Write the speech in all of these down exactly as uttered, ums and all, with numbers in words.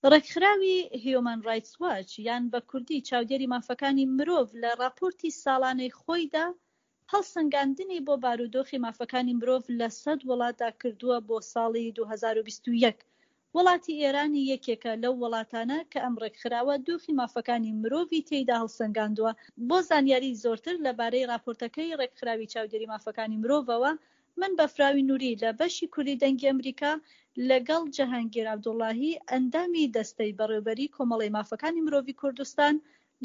ڕێکخراوی هیومان ڕایتس واچ یان بە کوردی چاودێری مافەکانی مرۆڤ لە ڕاپۆرتی ساڵانەی خۆیدا هەڵسەنگاندنی بۆ بارودۆخی مافەکانی مرۆڤ لە سەد وڵاتدا کردووە بۆ ساڵی دوو هەزار و بیست و یەک. وڵاتی ئێرانی یەکێکە لەو وڵاتانە کە ئەم ڕێکخراوە دۆخی مافەکانی مرۆڤی تێیدا هەڵسەنگاندووە. بۆ زانیاری زۆرتر لەبارەی ڕاپۆرتەکەی ڕێکخراوی چاودێری مافەکانی مرۆڤەوە، من بەفراوی نوری لە بەشی کوردی دەنگی ئەمریکا لەگەڵ جەهانگیر عەبدوڵاهی ئەندامی دەستەی بەڕێوبەری کۆمەڵەی مافەکانی مرۆڤی کوردستان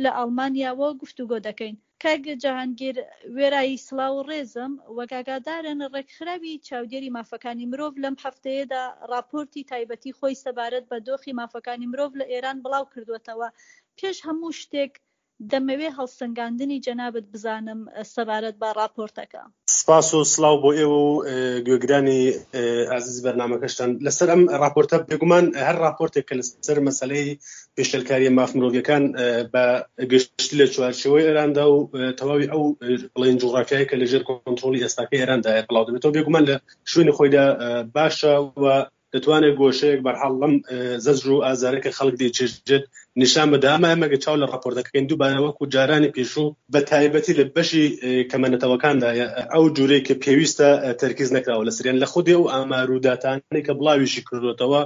لە ئەڵمانیاوە گفتوگۆ دەکەین. کاک جەهانگیر وێرای سڵاو و ڕێزم، وەک ئاگادارن ڕێکخراوی چاودێری مافەکانی مرۆڤ لەم هەفتەیەدا ڕاپۆرتی تایبەتی خۆی سەبارەت بە دۆخی مافەکانی مرۆڤ لە ئێران بڵاو کردووەتەوە. پێش هەموو شتێک دەمەوێ هەڵسەنگاندنی جەنابت بزانم سەبارەت بە ڕاپۆرتەکە. سپاس و سڵاو بۆ ئێوە و گوێگرانی ئازیزی بەرنامەکەشتان. لەسەر ئەم ڕاپۆرتە بێگومان هەر ڕاپۆرتێک کە لەسەر مەسەلەی پێشێلکاریە ماف مرۆڤیەکان بە گشتی لە چوارچێوەی ئێراندا و تەواوی ئەو بڵێن جوغرافیای کە لەژێر کۆنترۆڵی ئێستاکەی ئێراندا بڵاو دەبێتەوە، بێگومان لە شوێنی خۆیدا باشە و دەتوانێت گۆشەیەک بەرحاڵ لەم زەجر و ئازارە کە خەڵک دەیچێژێت نیشان بدا. ئەمە ئێمە گە چاو لە ڕاپۆرتەکەین دووبارە وەکو جارانی پێشوو بە تایبەتی لە بەشی کەمەنەتەوەکاندا ئەو جورەی کە پێویستە تەرکیز نەکراوە لەسەریان، لە خودی ئەو ئامار و داتانەی کە بڵاویشی کردوێتەوە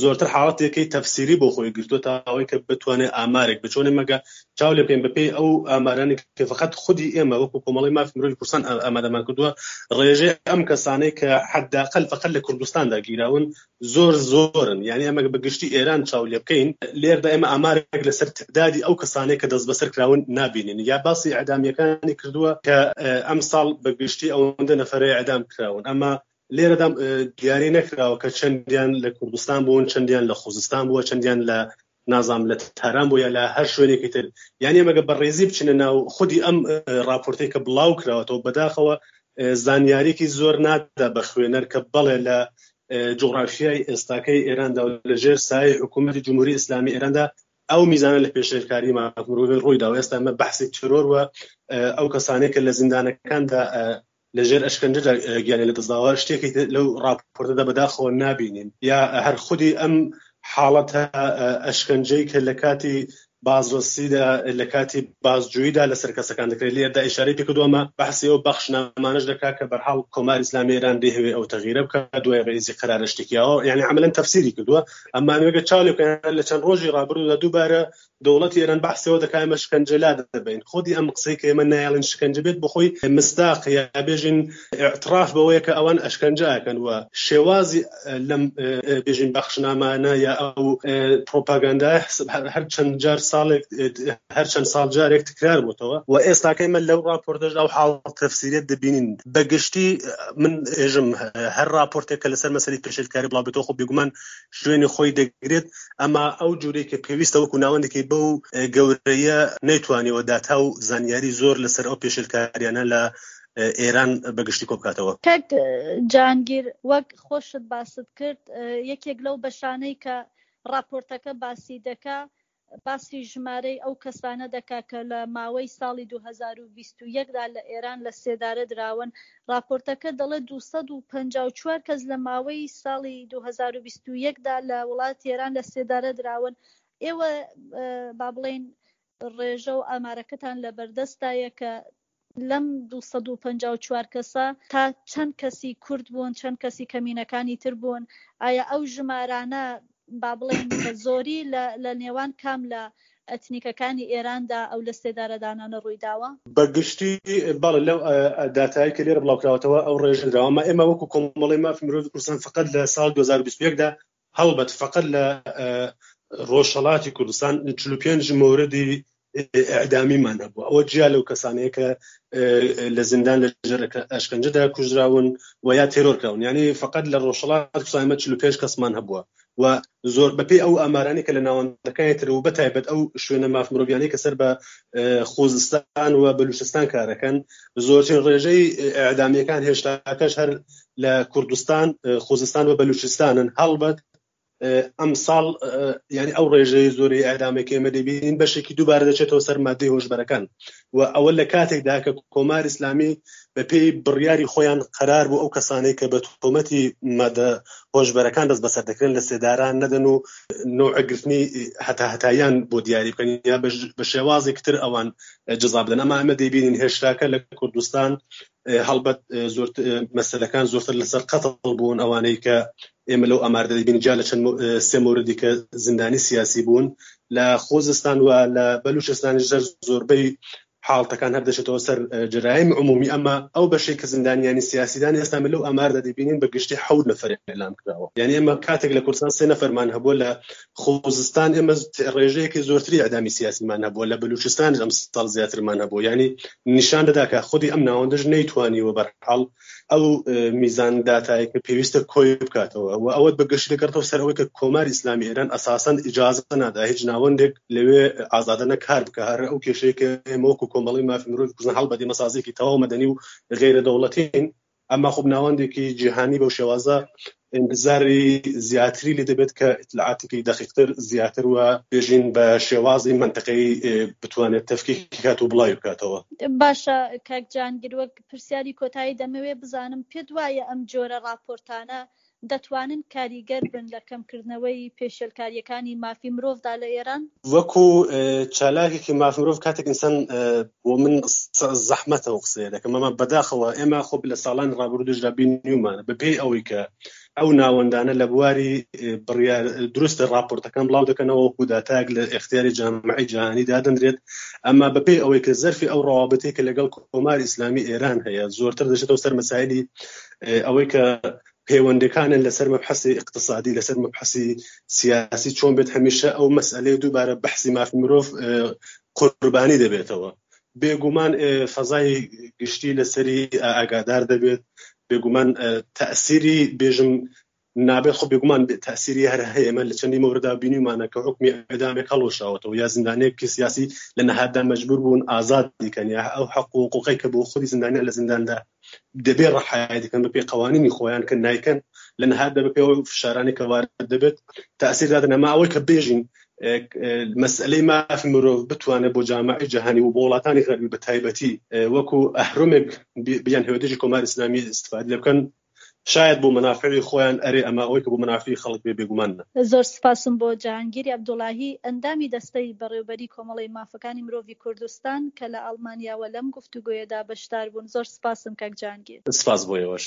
زۆرتر حاڵەتێکی تەفسیری بۆ خۆی گرتووە تا ئەوەی کە بتوانێت ئامارێک بچۆنێ مەگە چاو لێ بکەین بەپێی ئەو ئامارانی کە فقط خودی ئێمە وەکو کۆمەڵەی مافی مرۆڤی کوردستان ئامادەمان کردووە، ڕێژەی ئەم کەسانەی کە حداقل فقط لە کوردستاندا گیراون زۆر زۆرن. یعنی ئەمە بە گشتی ئێران چاو لێ بکەین لێردا ئێمە ئامارێک لەسەر تعدادی ئەو کەسانەی کە دەست بەسەر کراون نابینین. یا باسی ئەعدامیەکانی کردووە کە ئەم ساڵ بە گشتی ئەوەندە نەفەرەی ئەعدام کراون، ئەمە لێرەدا دیاری نەکراوە کە چەندیان لە کوردستان بوون، چەندیان لە خوزستان بووە، چەندیان لە نازام لە تاران بوو یا لە هەر شوێنێکی تر. یعنی ئەمەگە بە ڕێزی بچینە ناو خودی ئەم ڕاپۆرتەی کە بڵاو کراوەتەوە، بەداخەوە زانیاریکی زۆر نادا بە خوێنەر کە بەڵێ لە جوغرافیای ئێستاکەی ئێراندا و لەژێر سایەی حکوومەتی جمهوری ئیسلامی ئێراندا ئەو میزانە لە پێشێلکاری ماف مرۆڤ ڕوویدا و ئێستا ئەمە بەحسی تێرۆر و ئەو کەسانەی کە لە زیندانەکاندا لەژێر ئەشکەنجەدا گیانی لەدەستداوە شتێکی لەو ڕاپۆرتەدا بەداخەوە نابینین. یا هەر خودی ئەم حاڵەتە ئەشکەنجەی کە لە کاتی بازرەسیدا لە کاتی بازجوییدا لەسەر کەسەکان دەکرێت، لێردا ئیشارەی پێکردووە. ئەمە بەحسی ئەو بەخشنامانەش دەکات کە بەرحاڵ کۆماری ئیسلامی ئێران دەیهەوێ ئەو تەغیرە بکات دوای ڕئیسی قەرارە شتێکیاوە، یعنی عملاً تەفسیری کردووە. ئەمما ئەمەگە چاو لێ بکەین لە چەند ڕۆژی ڕابردوودا دووبارە دەوڵەتی ئێران بەحسەوە دەکات ئێمە شکەنجە لا دەبەین. خودی ئەم قسەی کە ئێمە نایەڵین شکەنجە بێت بەخۆی مستاق یا بێژین اعتراف بەوەیە کە ئەوان ئەشکەنجە ئەکەن و شێوازی لەم بێژین بەخشنامانە یا ئەو پرۆپاگەندای هەر چەند جار ساڵێک هەر چەند ساڵ جارێک تکرار بۆتەوە و ئێستاکە ئێمە لەو ڕاپۆرتەش ئەو حاڵ تەفسیریەت دەبینین. بەگشتی من ئێژم هەر ڕاپۆرتێک کە لەسەر مەسەلەی پێشێلکاری بڵاو بێتەوە خۆ بێگومان شوێنی خۆی دەگرێت، ئەما ئەو جورەی کە پێویستە وەکو ناوەندێکی بەو گەورەیە نەیتوانیوە داتا و زانیاری زۆر لەسەر ئەو پێشێلکاریانە لە ئێران بەگشتی کۆ بکاتەوە. کاک جەهانگیر، وەک خۆشت باست کرد یەکێک لەو بەشانەی کە ڕاپۆرتەکە باسی دەکا باسی ژمارەی ئەو کەسانە دەکا کە لە ماوەی ساڵی دوو هەزار و بیست و یەکدا لە ئێران لە سێدارە دراون. ڕاپۆرتەکە دەڵێت دوو سەد و پەنجا و چوار کەس لە ماوەی ساڵی دوو هەزار و بیست و یەکدا لە وڵاتی ئێران لە سێدارە دراون. ئێوە با بڵێین ڕێژە و ئامارەکەتان لە بەردەستایە کە لەم دوو سەد و پەنجا و چوار کەسە تا چەند کەسی کورد بوون، چەند کەسی کەمینەکانی تر بوون؟ ئایا ئەو ژمارانە با بڵێین بە زۆری لە نێوان کام لە ئەتنیکەکانی ئێراندا ئەو لە سێدارەدانانە ڕوویداوە؟ بەگشتی بەڵێ لەو داتایی کە لێرە بڵاوکراوەتەوە ئەو ڕێژە دراوە. ئەما ئێمە وەکو کۆمەڵەی مافی مرۆڤی کوردستان فقط لە ساڵ دوو هەزار و بیست و یەکدا هەڵبەت فقط لە ڕۆژهەڵاتی کوردستان چل و پێنج مۆردی ئەعدامیمان هەبوو. ئەوە جیا لەو کەسانەیە کە لە زیندان لە ژێر ئەشکەنجەدا کوژراون و یا تێرۆر کراون. یعنی فقط لە ڕۆژهەڵات کوردستان ئێمە چل و پێنج کەسمان هەبووە و زۆر بەپێی ئەو ئامارانەی کە لە ناوەندەکانی تر و بەتایبەت ئەو شوێنە ماف مرۆڤیانەی کە سەر بە خوزستان و بەلوچستان کارەکەن، زۆرترین ڕێژەی ئەعدامیەکان هێشتاکەش هەر لە کوردستان، خوزستان و بەلوچستانن. هەڵبەت ئەم ساڵ یعنی ئەو ڕێژەی زۆری ئەعدامێک ئێمە دەبینین بەشێکی دووبارە دەچێتەوە سەر مادەی هۆشبەرەکان و ئەوە لە کاتێکدا کە کۆمار ئیسلامی بەپێی بڕیاری خۆیان قەرار بوو ئەو کەسانەی کە بە تۆمەتی مادە هۆشبەرەکان دەست بەسەر دەکرێن لە سێداران نەدەن و نەوع گرتنی هەتا هەتاییان بۆ دیاری بکەن یا بە شێوازێک تر ئەوان جزا بدەن. ئەما ئەمە دەیبینین هێشتاکە لە کوردستان هەڵبەت زۆر مەسەلەکان زۆرتر لەسەر قەتڵ بوون، ئەوانەی کە ئێمە لەو ئاماردا دەبینین جا لە چەند سێ مۆردی کە زیندانی سیاسی بوون لە خۆزستان و لە بەلوچستانیش زۆربەی حاڵتەکان هەر دەچێتەوە سەر جەرایم عمومی. ئەمە ئەو بەشێک کە زیندانیانی سیاسیدان ئێستا من لەو ئاماردا دەبینین بە گشتی حەوت نەفەر ئێعلام کراوە. یعنی ئێمە کاتێک لە کوردستان سێ نەفەرمان هەبووە، لە خۆزستان ئێمە ڕێژەیەکی زۆرتری ئەعدامی سیاسیمان هەبووە، لە بەلوچستان ئەم ساڵ زیاترمان هەبووە. یعنی نیشان دەدا کە خودی ئەم ناوەندەش نەیتوانیوە بەرحاڵ ئەو میزان داتایە کە پێویستە کۆی بکاتەوە و ئەوەت بە گشتی دەگەڕێتەوە سەر ئەوەی کە کۆماری ئیسلامی ئێران ئەساسەن ئیجازە نادا هیچ ناوەندێک لەوێ ئازادانە کار بکە. هەر ئەو کێشەیە کە ئێمە وەکو کۆمەڵی مافی مرۆڤ کوردستان هەڵبەت ئێمە سازێکی تەواو مەدەنی و غەیرە دەوڵەتین، ئەما خۆ ناوەندێکی جیهانی بەو شێوازە انتظاری زیاتری لێ دەبێت کە ئیتلاعاتێکی دەقیقتر زیاتر و بێژین بە شێوازی منطقەی بتوانێت تەفکیک کات و بڵاوی بکاتەوە. باشە کاک جانگیر، وەک پرسیاری کۆتایی دەمەوێت بزانم پێت وایە ئەم جۆرە راپۆرتانە دەتوانن کاریگەر بن لە کەمکردنەوەی پێشێلکاریەکانی مافی مرۆڤدا لە ئێران؟ وەکو چالاکێکی مافی مرۆڤ کاتێک ئینسان بۆ من زەحمەتە و قسەیە دەکەم، ئەمە بەداخەوە ئێمە خۆ لە ساڵانی ڕابردووشدا بینیومانە بەپێی ئەوەی کە ئەو ناوەندانە لە بواری بڕیار دروستە راپۆرتەکان بڵاو دەکەنەوە وەکو داتایەک لە ئەختیاری جامعی جیهانی دادەنرێت، ئەما بەپێی ئەوەی کە زەرفی ئەو ڕەوابطەی کە لەگەڵ کۆماری ئیسلامی ئێران هەیە زۆرتر دەچێتەوە سەر مەسایلی ئەوەی کە پەیوەندەکانن لەسەر مەبحەسی اقتصادی، لەسەر مەبحەسی سیاسی چۆن بێت هەمیشە ئەو مەسئلەی دووبارە بەحسی مافی مرۆڤ قوربانی دەبێتەوە. بێگومان فەزای گشتی لەسەری ئاگادار دەبێت، بێگومان تەئسیری بێژم نابێت، خۆ بێگومان تەئسیری هەر هەیە. ئێمە لە چەندی مەوردا بینیومانە کە حکمی ئێعدامێک هەڵوەشاوەتەوە یا زیندانێکی سیاسی لە نەهاتدا مەجبور بوون ئازاد دیکەن، یا ئەو حەق و حقوقەی کە بۆ خودی زیندانیان لە زینداندا دەبێت ڕەحایەت دەکەن بەپێی قوانینی خۆیان کە نایکەن، لە نەهاتدا بەپێی ئەو فشارانەی کە وارد دەبێت تەئسیر دادەن. ئەما ئەوەی کە بێژین مەسئلەی مافی مرۆڤ بتوانێت بۆ جامعەی جیهانی و بۆ وڵاتانی غەربی بە تایبەتی وەکو ئەهرۆمێک بیان هەوێ دژی کۆماری ئیسلامی استفاده لێ بکەن، شاید بۆ منافعی خۆیان ئەرێ، ئەما ئەوەی کە بۆ منافعی خەڵک بێ بێگومان نە. زۆر سپاسم بۆ جەهانگیری عەبدوڵاهی، ئەندامی دەستەی بەڕێوبەری کۆمەڵەی مافەکانی مرۆڤی کوردستان کە لە ئەڵمانیاوە لەم گفتوگۆیەدا بەشدار بوون. زۆر سپاسم کاک جەهانگیر. سپاس بۆ ئێوەش.